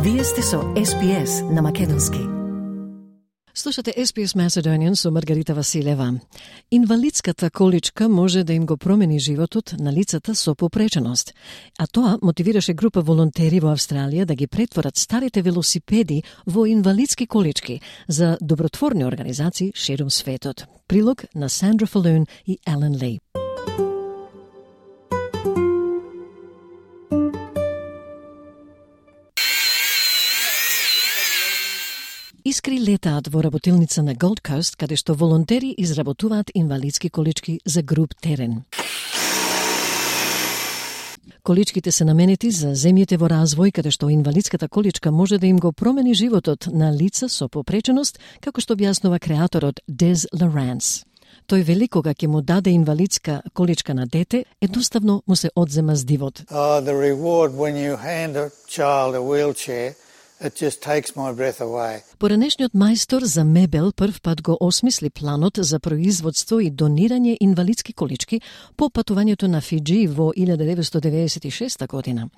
Вие сте со SPS на македонски. Слушате SPS Macedonian со Маргарита Василева. Инвалидската количка може да им го промени животот на лицата со попреченост. А тоа мотивираше група волонтери во Австралија да ги претворат старите велосипеди во инвалидски колички за добротворни организации ширум светот. Прилог на Сандра Фалун и Елен Ли. Искри летаат во работилница на Gold Coast, каде што волонтери изработуваат инвалидски колички за груп терен. Количките се наменети за земјите во развој, каде што инвалидската количка може да им го промени животот на лица со попреченост, како што објаснува креаторот Des Lawrence. Тој вели кога ќе му даде инвалидска количка на дете, едноставно му се одзема здивот. The reward when you hand a child a wheelchair, it just takes my breath away. Поранешниот мајстор за мебел прв пат го осмисли планот за производство и донирање инвалидски колички по патувањето на Фиджи во 1996 година.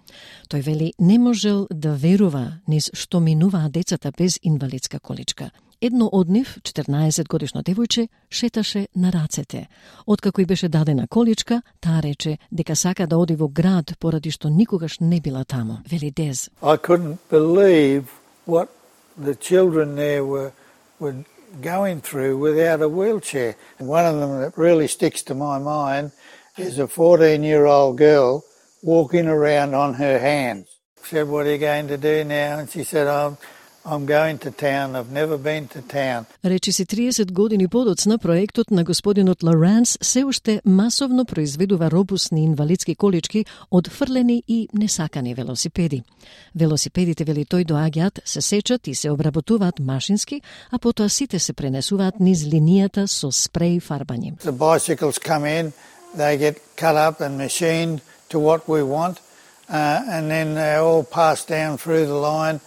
Тој вели не можел да верува низ што минуваат децата без инвалидска количка. Едно од нив, 14-годишно девојче, шеташе на рацете. Откако и беше дадена количка, таа рече дека сака да оди во град поради што никогаш не била таму. Вели Дез. I couldn't believe what the children there were going through without a wheelchair. One of them that really sticks to my mind is a 14-year-old girl walking around on her hands. I said, "What are you going to do now?" And she said, I'm going to town. I've never been to town. Речи си 30 години подоцна, проектот на господинот Лоренс се уште масовно произведува робусни инвалидски колички од фрлени и несакани велосипеди. Велосипедите, вели тој, доаѓаат, се сечат и се обработуваат машински, а потоа сите се пренесуваат низ линијата со спреј фарбање. The bicycles come in, they get cut up and machined to what we want, and then they all pass down through the line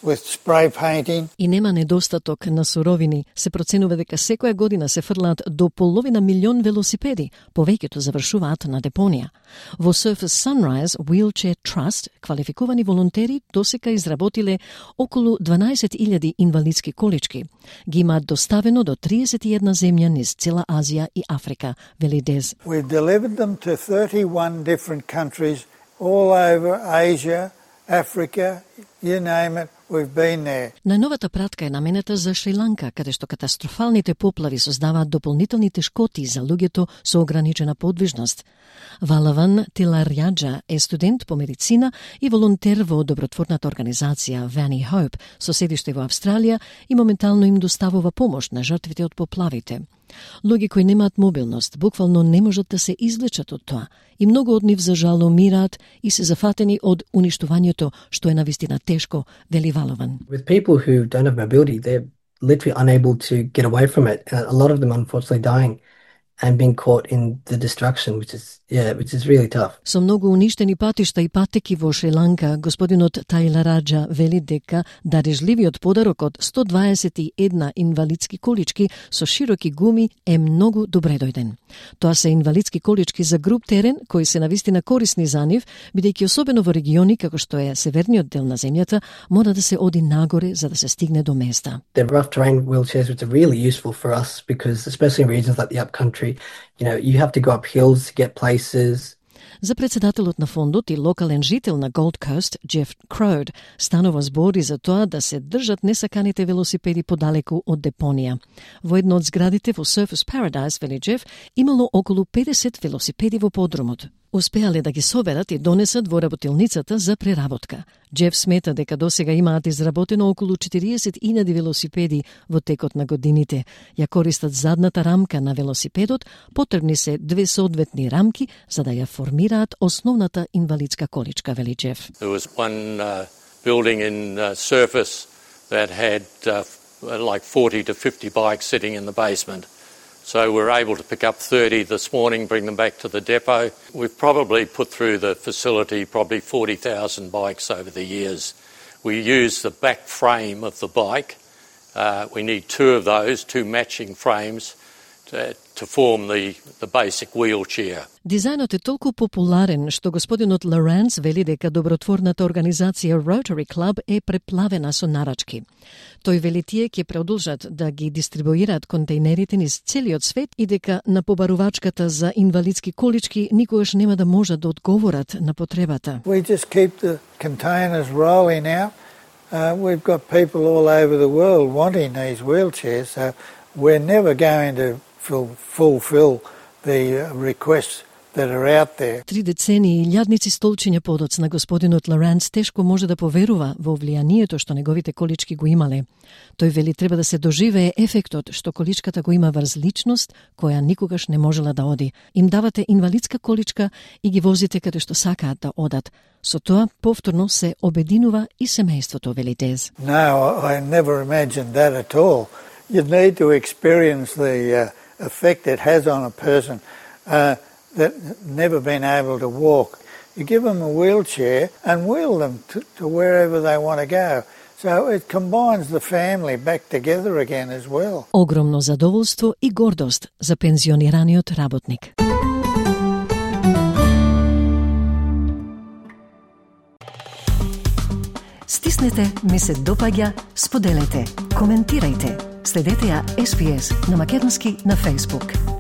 with spray painting. И нема недостаток на суровини. Се проценува дека секоја година се фрлаат до половина милион велосипеди, повеќето завршуваат на депонија. Во Surfers Sunrise Wheelchair Trust квалификувани волонтери досека изработиле околу 12.000 инвалидски колички. Ги имаат доставено до 31 земја низ цела Азија и Африка, вели Дез. We've delivered them to 31 different countries all over Asia, Africa, you name it. We've been there. Најновата пратка е наменета за Шри-Ланка, каде што катастрофалните поплави создаваат дополнителни тешкоти за луѓето со ограничена подвижност. Валаван Тиларјаджа е студент по медицина и волонтер во добротворната организација Vani Hope со седиште во Австралија и моментално им доставува помош на жртвите од поплавите. Луѓе кои немаат мобилност буквално не можат да се извлечат од тоа и многу од нив за жал умираат и се зафатени од уништувањето, што е навистина тешко, вели Валован. With people who don't have mobility, they're literally unable to get away from it. A lot of them unfortunately dying and being caught in the destruction, which is really tough. Со многу уништени патишта и патеки во Шри-Ланка, господинот Тиларјаджа вели дека дарежливиот подарок од 121 инвалидски колички со широки гуми е многу добре дојден. Тоа се инвалидски колички за груп терен кои се навистина корисни за нив, бидејќи особено во региони како што е северниот дел на земјата, мора да се оди нагоре за да се стигне до места. The rough terrain wheelchairs, which are really useful for us because especially in regions like the upcountry, you have to go up hills to get places. За председателот на фондот и локален жител на Gold Coast, Jeff Crode, станува збор и за тоа да се држат несаканите велосипеди подалеку од депонија. Во едно од зградите во Surfers Paradise, вели Jeff, имало околу 50 велосипеди во подрумот. Успеале да ги соберат и донесат во работилницата за преработка. Джеф смета дека досега имаат изработено околу 40.000 велосипеди во текот на годините. Ја користат задната рамка на велосипедот, потребни се 2 соодветни рамки за да ја формираат основната инвалидска количка, вели Джеф. There was one building in Surface that had like 40 to 50 bikes sitting in the basement. So we were able to pick up 30 this morning, bring them back to the depot. We've probably put through the facility probably 40,000 bikes over the years. We use the back frame of the bike. We need 2 of those, 2 matching frames, to form the basic wheelchair. Дизајнот е толку популарен што господинот Лоренц вели дека добротворната организација Rotary Club е преплавена со нарачки. Тој вели тие ќе продолжат да ги дистрибуираат контейнерите низ целиот свет и дека на побарувачката за инвалидски колички никогаш нема да можат да одговорат на потребата. We just keep the containers rolling out. We've got people all over the world wanting these wheelchairs, so we're never going to fulfill the requests that are out there. 3 децении и илјадници столчиња подоцна господинот Лоренц тешко може да поверува во влијанието што неговите колички го имале. Тој вели треба да се доживее ефектот што количката го има врз личност која никогаш не можела да оди. Им давате инвалидска количка и ги возите каде што сакаат да одат. Со тоа повторно се обединува и семејството, вели Дез. No, I never imagined that at all. You need to experience the effect it has on a person that never been able to walk. You give them a wheelchair and wheel them to wherever they want to go. So it combines the family back together again as well. Огромно задоволство и гордост за пензионираниот работник. Стиснете, ми се допаѓа, споделете, коментирајте. Следете ја SPS на македонски на Facebook.